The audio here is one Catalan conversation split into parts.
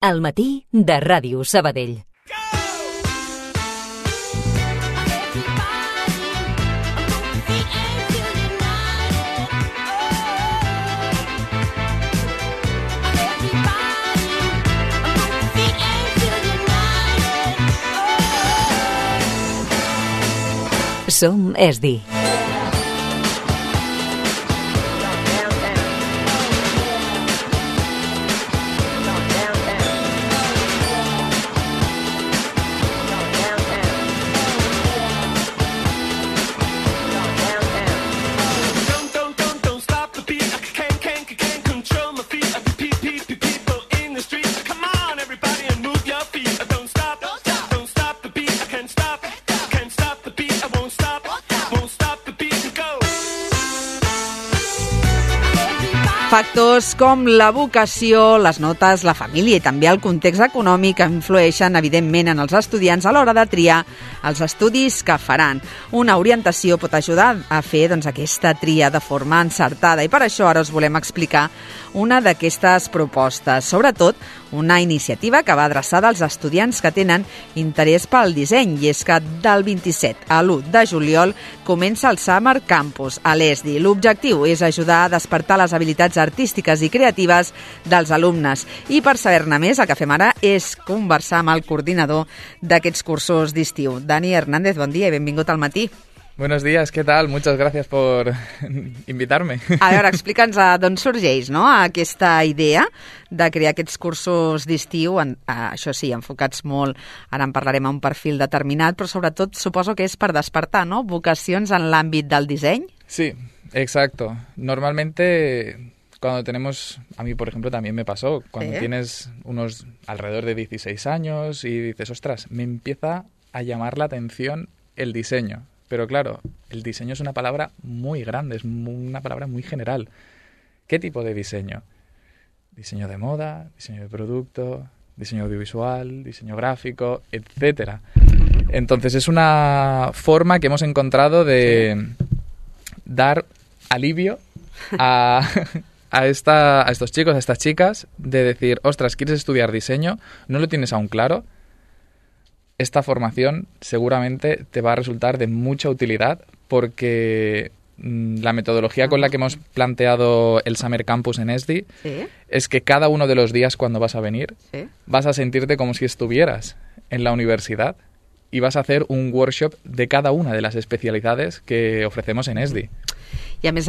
Al matí de Ràdio Sabadell. Som ESDI. Factors com la vocació, les notes, la família i també el context econòmic influeixen, evidentment, en els estudiants a l'hora de triar els estudis que faran. Una orientació pot ajudar a fer aquesta tria de forma encertada i per això ara us volem explicar una d'aquestes propostes, sobretot una iniciativa que va adreçada als estudiants que tenen interès pel disseny, i és que del 27 a l'1 de juliol comença el Summer Campus a l'ESDI. L'objectiu és ajudar a despertar les habilitats artístiques i creatives dels alumnes. I per saber-ne més, el que fem ara és conversar amb el coordinador d'aquests cursos d'estiu. Dani Hernández, bon dia i benvingut al matí. Buenos días, ¿qué tal? Muchas gracias por invitarme. A veure, explica'ns d'on sorgeix aquesta idea de crear aquests cursos d'estiu, això sí, enfocats molt, ara en parlarem, a un perfil determinat, però sobretot suposo que és per despertar, ¿no?, vocacions en l'àmbit del disseny. Sí, exacto. Normalmente cuando tenemos, a mí por ejemplo también me pasó, cuando tienes unos alrededor de 16 años y dices, ostras, me empieza a llamar la atención el diseño. Pero claro, el diseño es una palabra muy grande, es una palabra muy general. ¿Qué tipo de diseño? Diseño de moda, diseño de producto, diseño audiovisual, diseño gráfico, etcétera. Entonces es una forma que hemos encontrado de dar alivio a estos chicos, a estas chicas, de decir, ostras, ¿quieres estudiar diseño? ¿No lo tienes aún claro? Esta formación seguramente te va a resultar de mucha utilidad porque la metodología con la que hemos planteado el Summer Campus en ESDI es que cada uno de los días cuando vas a venir vas a sentirte como si estuvieras en la universidad y vas a hacer un workshop de cada una de las especialidades que ofrecemos en ESDI. I a més,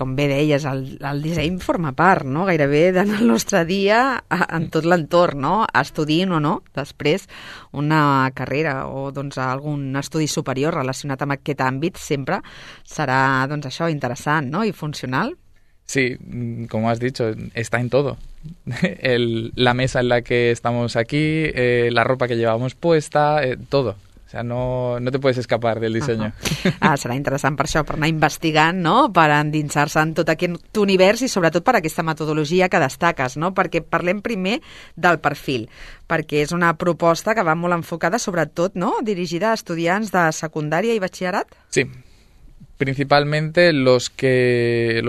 com bé deies, el disseny forma part, no?, gairebé del nostre dia en tot l'entorn, no?, estudiïn o no després una carrera o algun estudi superior relacionat amb aquest àmbit, sempre serà això interessant, no?, i funcional. Sí, como has dicho, está en todo. La mesa en la que estamos aquí, la ropa que llevamos puesta, todo. O sea, no te puedes escapar del diseño. Serà interessant per això, per anar investigant, no?, per endinsar-se en tot aquest univers i sobretot per aquesta metodologia que destaques, no?, perquè parlem primer del perfil, perquè és una proposta que va molt enfocada sobretot, no?, dirigida a estudiants de secundària i batxillerat. Sí. Principalmente los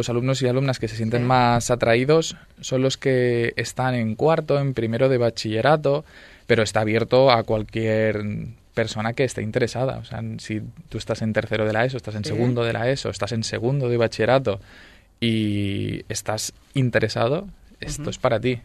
alumnos y alumnas que se sienten más atraídos son los que están en cuarto, en primero de bachillerato, pero está abierto a cualquier persona que esté interesada. O sea, si tú estás en tercero de la ESO, estás en segundo de la ESO, estás en segundo de bachillerato y estás interesado, esto es para ti.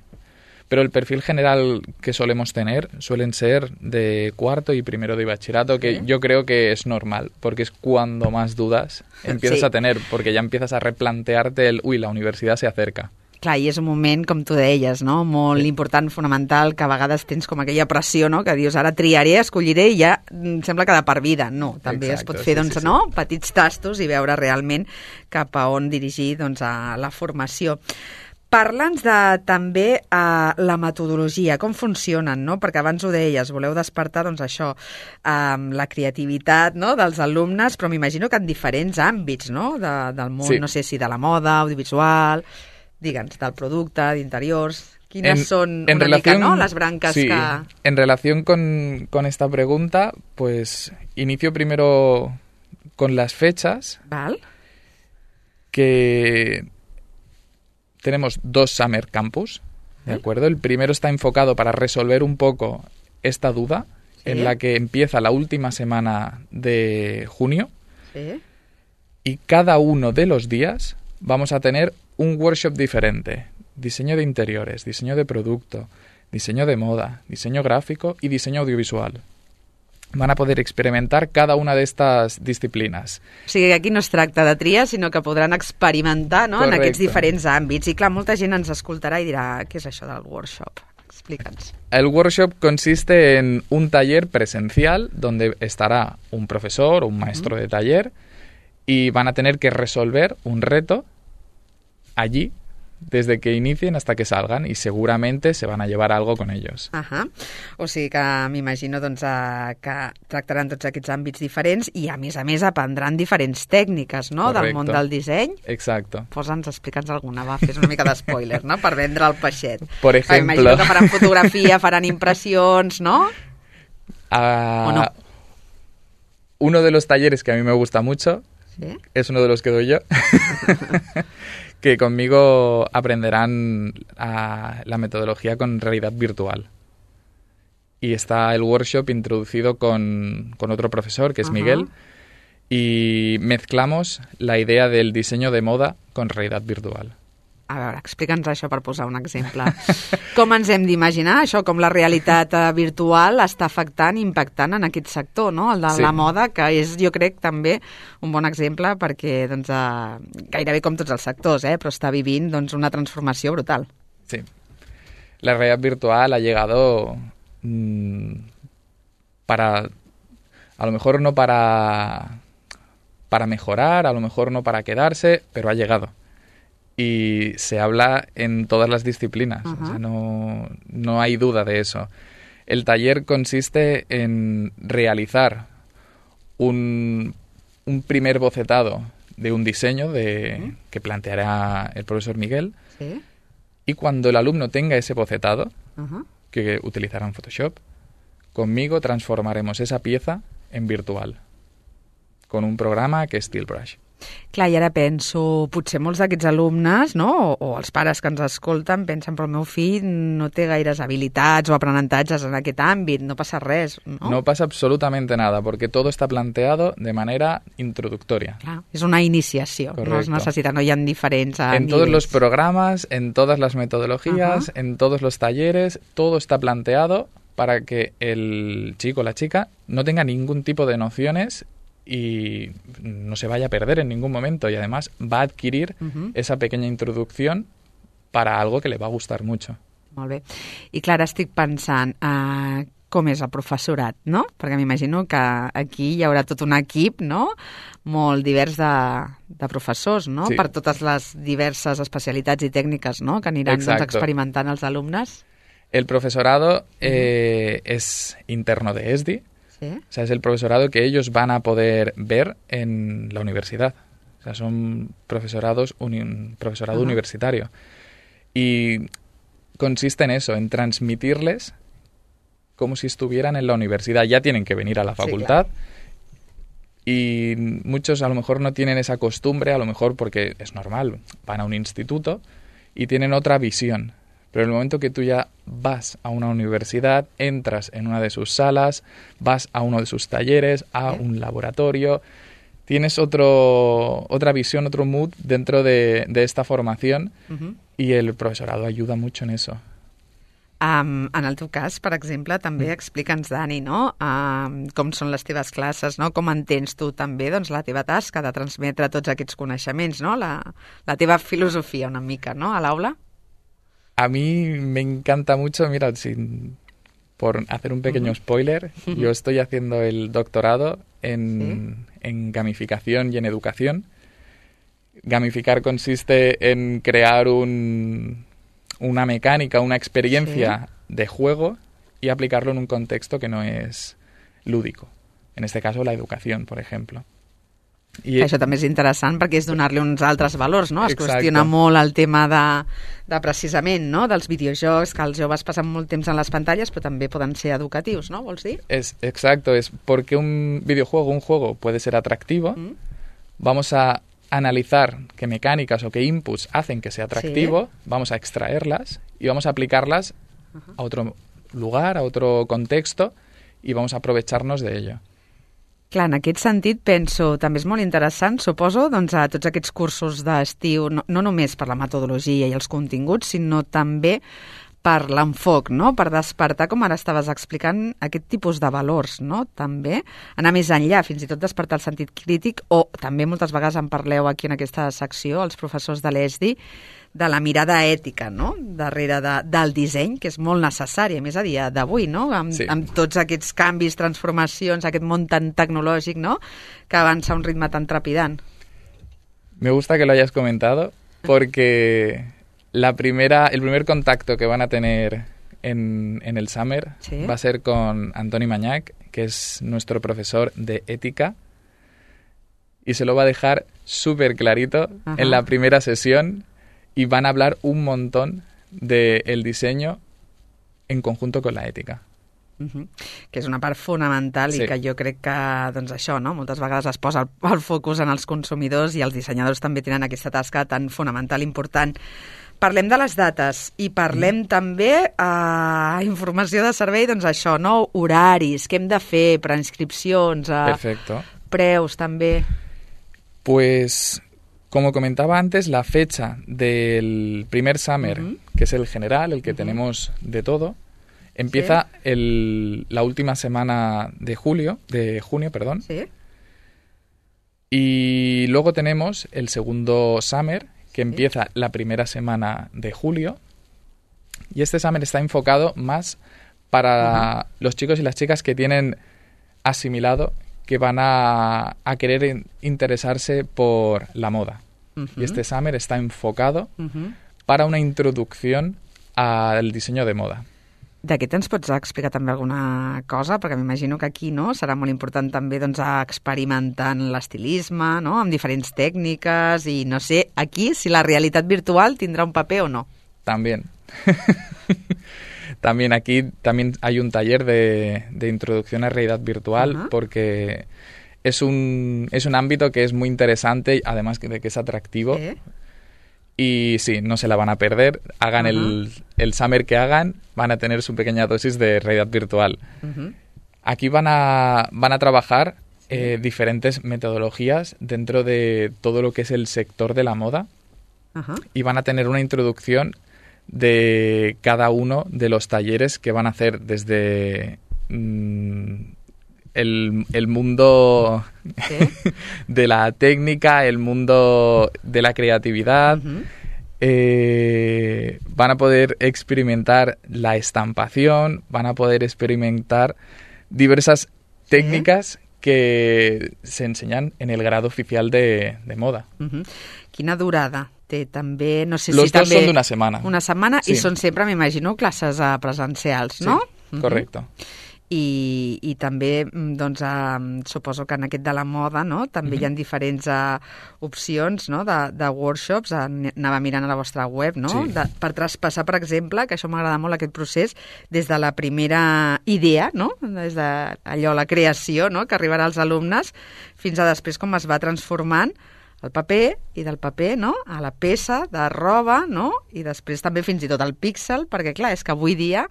Pero el perfil general que solemos tener suelen ser de cuarto y primero de bachillerato, que yo creo que es normal, porque es cuando más dudas empiezas a tener, porque ya empiezas a replantearte la universidad se acerca. Clar, i és un moment, com tu deies, no?, molt important, fonamental, que a vegades tens com aquella pressió, no?, que dius, ara triaré, escolliré i ja sembla que de per vida. No, també es pot fer, no?, petits tastos i veure realment cap a on dirigir a la formació. Parla'ns també la metodologia, com funcionen, no?, perquè abans ho deies, voleu despertar, això, la creativitat, no?, dels alumnes, però m'imagino que en diferents àmbits, no?, del món, no sé si de la moda, audiovisual... Digue'ns, del producte, d'interiors, quines son una mica, ¿no?, las brancas que... En relación con esta pregunta, pues inicio primero con las fechas. ¿Vale? Que tenemos 2 Summer Campus ¿de acuerdo? El primero está enfocado para resolver un poco esta duda, en la que empieza la última semana de junio. Y cada uno de los días vamos a tener un workshop diferente. Diseño de interiores, diseño de producto, diseño de moda, diseño gráfico y diseño audiovisual. Van a poder experimentar cada una de estas disciplines. O sigui que aquí no es tracta de triar, sinó que podran experimentar, no?, en aquests diferents àmbits. I clar, molta gent ens escoltarà i dirà, què és això del workshop? Explica'ns. El workshop consiste en un taller presencial donde estará un profesor o un maestro de taller y van a tener que resolver un reto allí desde que inicien hasta que salgan y seguramente se van a llevar algo con ellos. O sigui que m'imagino doncs, que tractaran tots aquests àmbits diferents i a més aprendran diferents tècniques, no?, del món del disseny. Exacto. Posa'ns, explica'ns alguna, va, fes una mica d'espoiler, no?, per vendre el peixet. Por ejemplo... Imagino que faran fotografia, faran impressions, ¿no? ¿O no? Uno de los talleres que a mí me gusta mucho, es uno de los que doy yo, que conmigo aprenderán la metodología con realidad virtual. Y está el workshop introducido con otro profesor, que es Miguel, y mezclamos la idea del diseño de moda con realidad virtual. A veure, explica'ns això per posar un exemple. Com ens hem d'imaginar això, com la realitat virtual està afectant, impactant en aquest sector, no?, el de la moda, que és, jo crec, també un bon exemple perquè doncs, gairebé com tots els sectors, però està vivint doncs, una transformació brutal. Sí. La realidad virtual ha llegado para, a lo mejor no para mejorar, a lo mejor no para quedarse, pero ha llegado. Y se habla en todas las disciplinas, o sea, no hay duda de eso. El taller consiste en realizar un primer bocetado de un diseño que planteará el profesor Miguel, y cuando el alumno tenga ese bocetado, que utilizará en Photoshop, conmigo transformaremos esa pieza en virtual, con un programa que es StillBrush. Clar, i ara penso, potser molts d'aquests alumnes, no?, o els pares que ens escolten, pensen, però el meu fill no té gaires habilitats o aprenentatges en aquest àmbit, no passa res, no? No pasa absolutamente nada, porque todo está planteado de manera introductoria. Clar, és una iniciació, correcto. No es necessita, no hi ha diferents en todos los programas, en todas las metodologías, en todos los talleres, todo está planteado para que el chico o la chica no tenga ningún tipo de nociones y no se vaya a perder en ningún momento, y además va a adquirir esa pequeña introducción para algo que le va a gustar mucho. Molt bé. I clar, estic pensant com és el professorat, no? Perquè m'imagino que aquí hi haurà tot un equip, no?, molt divers de professors, no?, sí. Per totes les diverses especialitats i tècniques, no?, que aniran doncs, experimentant els alumnes. El profesorado es interno de ESDI. O sea, es el profesorado que ellos van a poder ver en la universidad. O sea, son profesorado universitario. Y consiste en eso, en transmitirles como si estuvieran en la universidad. Ya tienen que venir a la facultad. Sí, claro. Y muchos a lo mejor no tienen esa costumbre, a lo mejor porque es normal, van a un instituto y tienen otra visión. Pero en el momento que tú ya vas a una universidad, entras en una de sus salas, vas a uno de sus talleres, a un laboratorio, tienes otra visión, otro mood dentro de esta formación, y el profesorado ayuda mucho en eso. En el teu cas, per exemple, també explica'ns, Dani, no? Com són les teves classes, no? Com entens tu també doncs, la teva tasca de transmetre tots aquests coneixements, no? La teva filosofia una mica, no?, a l'aula? A mí me encanta mucho, mira, por hacer un pequeño spoiler, yo estoy haciendo el doctorado en gamificación y en educación. Gamificar consiste en crear una mecánica, una experiencia de juego y aplicarlo en un contexto que no es lúdico. En este caso, la educación, por ejemplo. I això també és interessant perquè és donar-li uns altres valors, no? Es qüestiona molt el tema de precisament, no?, dels videojocs, que els joves passen molt temps en les pantalles, però també poden ser educatius, no? Vols dir? Exacto, es porque un videojuego, un juego puede ser atractivo, vamos a analizar qué mecánicas o qué inputs hacen que sea atractivo, vamos a extraerlas y vamos a aplicarlas a otro lugar, a otro contexto, i vamos a aprovechar-nos d'ello. Clar, en aquest sentit penso, també és molt interessant, suposo, doncs, a tots aquests cursos d'estiu, no només per la metodologia i els continguts, sinó també per l'enfoc, no? Per despertar, com ara estaves explicant, aquest tipus de valors, no? També anar més enllà, fins i tot despertar el sentit crític, o també moltes vegades en parleu aquí en aquesta secció, els professors de l'ESDI, de la mirada ètica, no?, darrere del disseny, que és molt necessari, a més a dia d'avui, no?, amb tots aquests canvis, transformacions, aquest món tan tecnològic, no?, que avança a un ritme tan trepidant. Me gusta que lo hayas comentado, porque el primer contacto que van a tener en el Summer va a ser con Antoni Mañach, que es nuestro profesor de ética, y se lo va a dejar súper clarito en la primera sesión, y van a hablar un montón del diseño en conjunto con la ètica. Que és una part fonamental i que jo crec que, doncs això, no? Moltes vegades es posa el focus en els consumidors i els dissenyadors també tenen aquesta tasca tan fonamental i important. Parlem de les dates i parlem també informació de servei, doncs això, no? Horaris, què hem de fer, preinscripcions, preus també. Pues, como comentaba antes, la fecha del primer Summer, que es el general, el que tenemos de todo, empieza la última semana de junio, y luego tenemos el segundo Summer, que empieza la primera semana de julio, y este Summer está enfocado más para los chicos y las chicas que tienen asimilado que van a querer interesarse por la moda. Y este Summer está enfocado para una introducción al diseño de moda. D'aquest ens pots explicar també alguna cosa? Perquè m'imagino que aquí, no?, serà molt important també, doncs, experimentar en l'estilisme, no?, amb diferents tècniques i no sé, aquí, si la realitat virtual tindrà un paper o no. También. También aquí hay un taller de introducción a realidad virtual porque es un ámbito que es muy interesante, además de que es atractivo. Y sí, no se la van a perder. Hagan el Summer que hagan, van a tener su pequeña dosis de realidad virtual. Aquí van a trabajar diferentes metodologías dentro de todo lo que es el sector de la moda y van a tener una introducción de cada uno de los talleres que van a hacer desde el mundo de la técnica, el mundo de la creatividad. Van a poder experimentar la estampación, van a poder experimentar diversas técnicas que se enseñan en el grado oficial de moda. Quina durada té també? No sé Los si dos també... son de una semana. Una setmana i són sempre, m'imagino, classes presencials, no? Sí, correcto. I també, doncs, suposo que en aquest de la moda, no?, també hi ha diferents opcions, no?, de workshops, anava mirant a la vostra web, no?, per traspassar, per exemple, que això m'agrada molt, aquest procés, des de la primera idea, no?, des de allò, la creació, no?, que arribarà als alumnes, fins a després com es va transformant el paper, i del paper, no?, a la peça de roba, no?, i després també fins i tot el píxel, perquè, clar, és que avui dia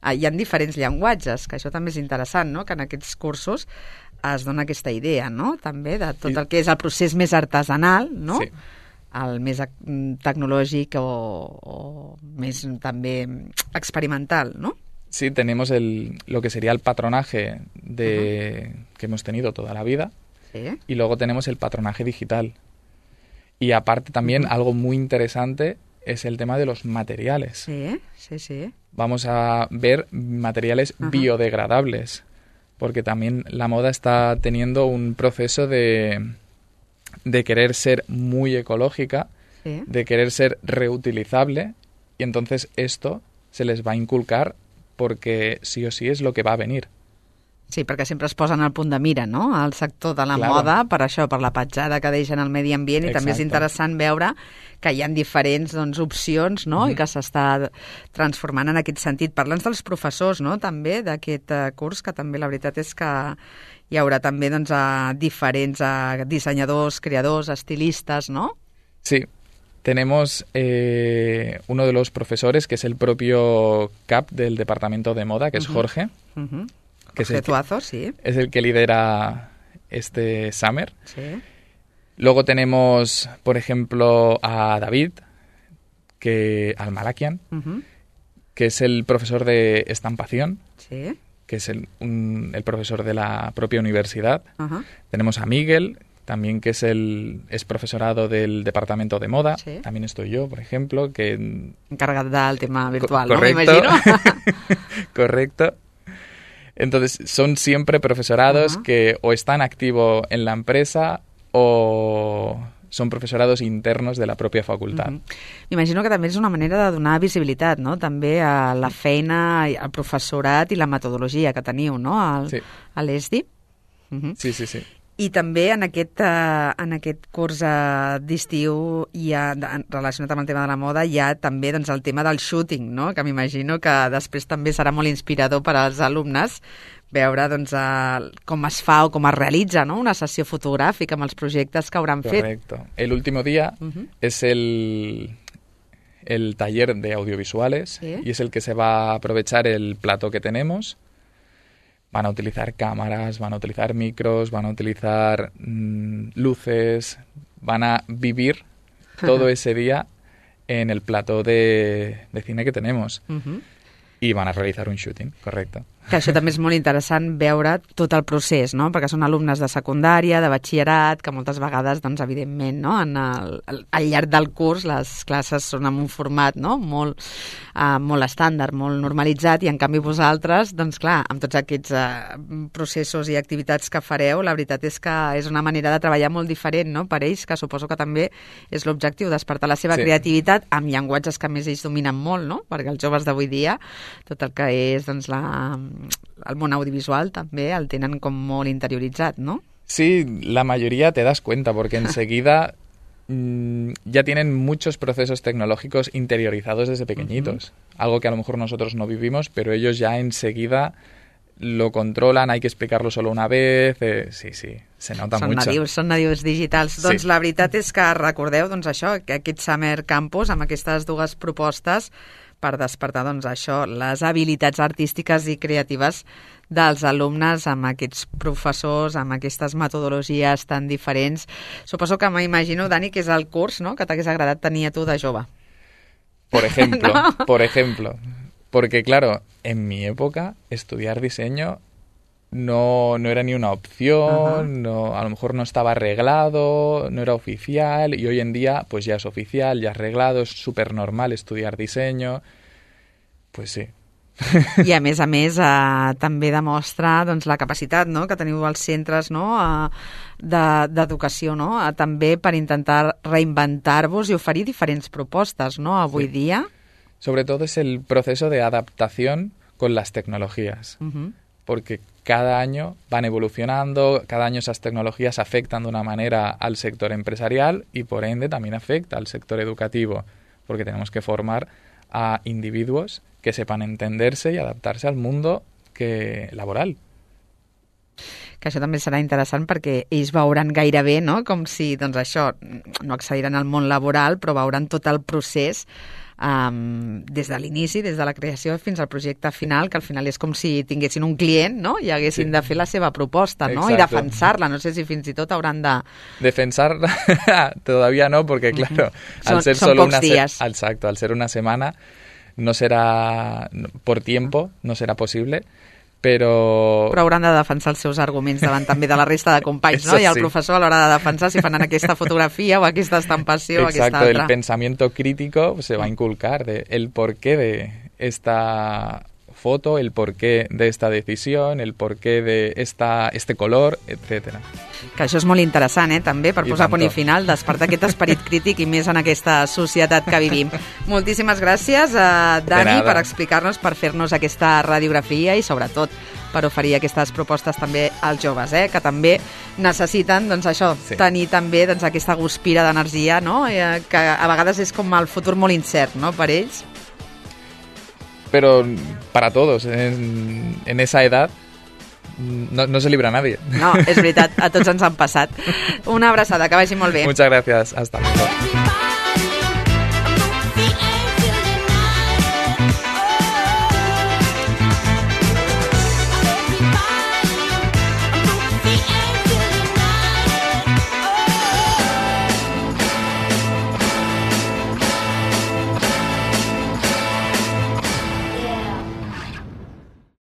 hi ha diferents llenguatges, que això també és interessant, no?, que en aquests cursos es dona aquesta idea, no?, també de tot el que és el procés més artesanal, no?, el més tecnològic o més també experimental, no? Sí, tenemos lo que sería el patronaje que hemos tenido toda la vida, y luego tenemos el patronaje digital. Y aparte también algo muy interesante es el tema de los materiales. Sí. Vamos a ver materiales biodegradables, porque también la moda está teniendo un proceso de querer ser muy ecológica, de querer ser reutilizable, y entonces esto se les va a inculcar porque sí o sí es lo que va a venir. Sí, perquè sempre es posen al punt de mira, no?, al sector de la moda, per això, per la petjada que deixen al medi ambient, i també és interessant veure que hi ha diferents opcions, no?, i que s'està transformant en aquest sentit. Parla'ns dels professors, no?, també, d'aquest curs, que també la veritat és que hi haurà també diferents dissenyadors, creadors, estilistes, ¿no? Sí, tenemos uno de los profesores, que es el propio CAP del departamento de moda, que es Jorge. Que Jorge Tuazo, sí. Es el que lidera este Summer. Sí. Luego tenemos, por ejemplo, a David, al Malakian, que es el profesor de estampación, sí, que es el profesor de la propia universidad. Tenemos a Miguel, también, que es profesorado del departamento de moda. Sí. También estoy yo, por ejemplo, que... encargado del tema virtual, correcto, ¿no? Me imagino. Correcto. Entonces, son siempre profesorados que o están activos en la empresa o són professorados internos de la pròpia facultat. M'imagino que també és una manera de donar visibilitat, no?, també a la feina, al professorat i la metodologia que teniu, no?, a l'ESDI. Sí, sí, sí. I també en aquest curs d'estiu, relacionat amb el tema de la moda, hi ha també el tema del shooting, no?, que m'imagino que després també serà molt inspirador per als alumnes veure com es fa o com es realitza, no?, una sessió fotogràfica amb els projectes que hauran fet. Correcto. El último día es el taller de audiovisuales, y es el que se va a aprovechar el plato que tenemos. Van a utilizar cámaras, van a utilizar micros, van a utilizar luces, van a vivir todo ese día en el plató de cine que tenemos. Y van a realizar un shooting, correcto. Que això també és molt interessant veure tot el procés, no?, perquè són alumnes de secundària, de batxillerat, que moltes vegades, evidentment, no?, al llarg del curs les classes són en un format, no?, molt estàndard, molt normalitzat, i en canvi vosaltres, clar, amb tots aquests processos i activitats que fareu, la veritat és que és una manera de treballar molt diferent, no?, per ells, que suposo que també és l'objectiu, despertar la seva creativitat amb llenguatges que més ells dominen molt, no?, perquè els joves d'avui dia, tot el que és, el món audiovisual també el tenen com molt interioritzat, ¿no? Sí, la mayoría te das cuenta, porque enseguida ya tienen muchos procesos tecnológicos interiorizados desde pequeñitos. Algo que a lo mejor nosotros no vivimos, pero ellos ya enseguida lo controlan, hay que explicarlo solo una vez. Sí, se nota mucho. Són nadius digitals. Sí. Doncs la veritat és que recordeu això, que aquest Summer Campus, amb aquestes dues propostes, per despertar això, les habilitats artístiques i creatives dels alumnes amb aquests professors, amb aquestes metodologies tan diferents. Suposo que m'imagino, Dani, que és el curs, no?, que t'hagués agradat tenir a tu de jove. Por ejemplo, ¿no? Por ejemplo. Porque, claro, en mi época, estudiar diseño no era ni una opción, a lo mejor no estaba arreglado, no era oficial, y hoy en día pues ya es oficial, ya es arreglado, es súper normal estudiar diseño. Pues sí. I a més també demostra la capacitat, no?, que teniu als centres, no?, d'educació, no?, també per intentar reinventar-vos i oferir diferents propostes, no?, avui dia. Sobre todo es el proceso de adaptación con las tecnologías. Porque cada año van evolucionando, cada año esas tecnologías afectan de una manera al sector empresarial y por ende también afecta al sector educativo, porque tenemos que formar a individuos que sepan entenderse y adaptarse al mundo laboral. Que això també serà interessant perquè ells veuran gairebé, no?, com si, això, no accediran al món laboral, però veuran tot el procés des de l'inici, des de la creació fins al projecte final, que al final és com si tinguessin un client, no?, i haguessin de fer la seva proposta, no?, i defensar-la. No sé si fins i tot hauran de... Defensarla todavía no, porque claro, al ser solo una exacto, al ser una semana no será por tiempo, no será posible. Però hauran de defensar els seus arguments davant també de la resta de companys, ¿no? I el professor a l'hora de defensar si fan aquesta fotografia o aquesta estampació o aquesta altra. El pensamiento crítico se va a inculcar el porqué de esta foto, el porqué de esta decisión, el porqué de este color, etcètera. Que això és molt interessant, també, per posar punt i final, despertar aquest esperit crític i més en aquesta societat que vivim. Moltíssimes gràcies, Dani, per explicar-nos, per fer-nos aquesta radiografia i, sobretot, per oferir aquestes propostes també als joves, que també necessiten tenir també aquesta guspira d'energia, no? Que a vegades és com el futur molt incert, no?, per ells. Pero para todos, en esa edad no se libra nadie. No, és veritat, a tots ens han passat. Una abraçada, que vagi molt bé. Muchas gracias, hasta luego.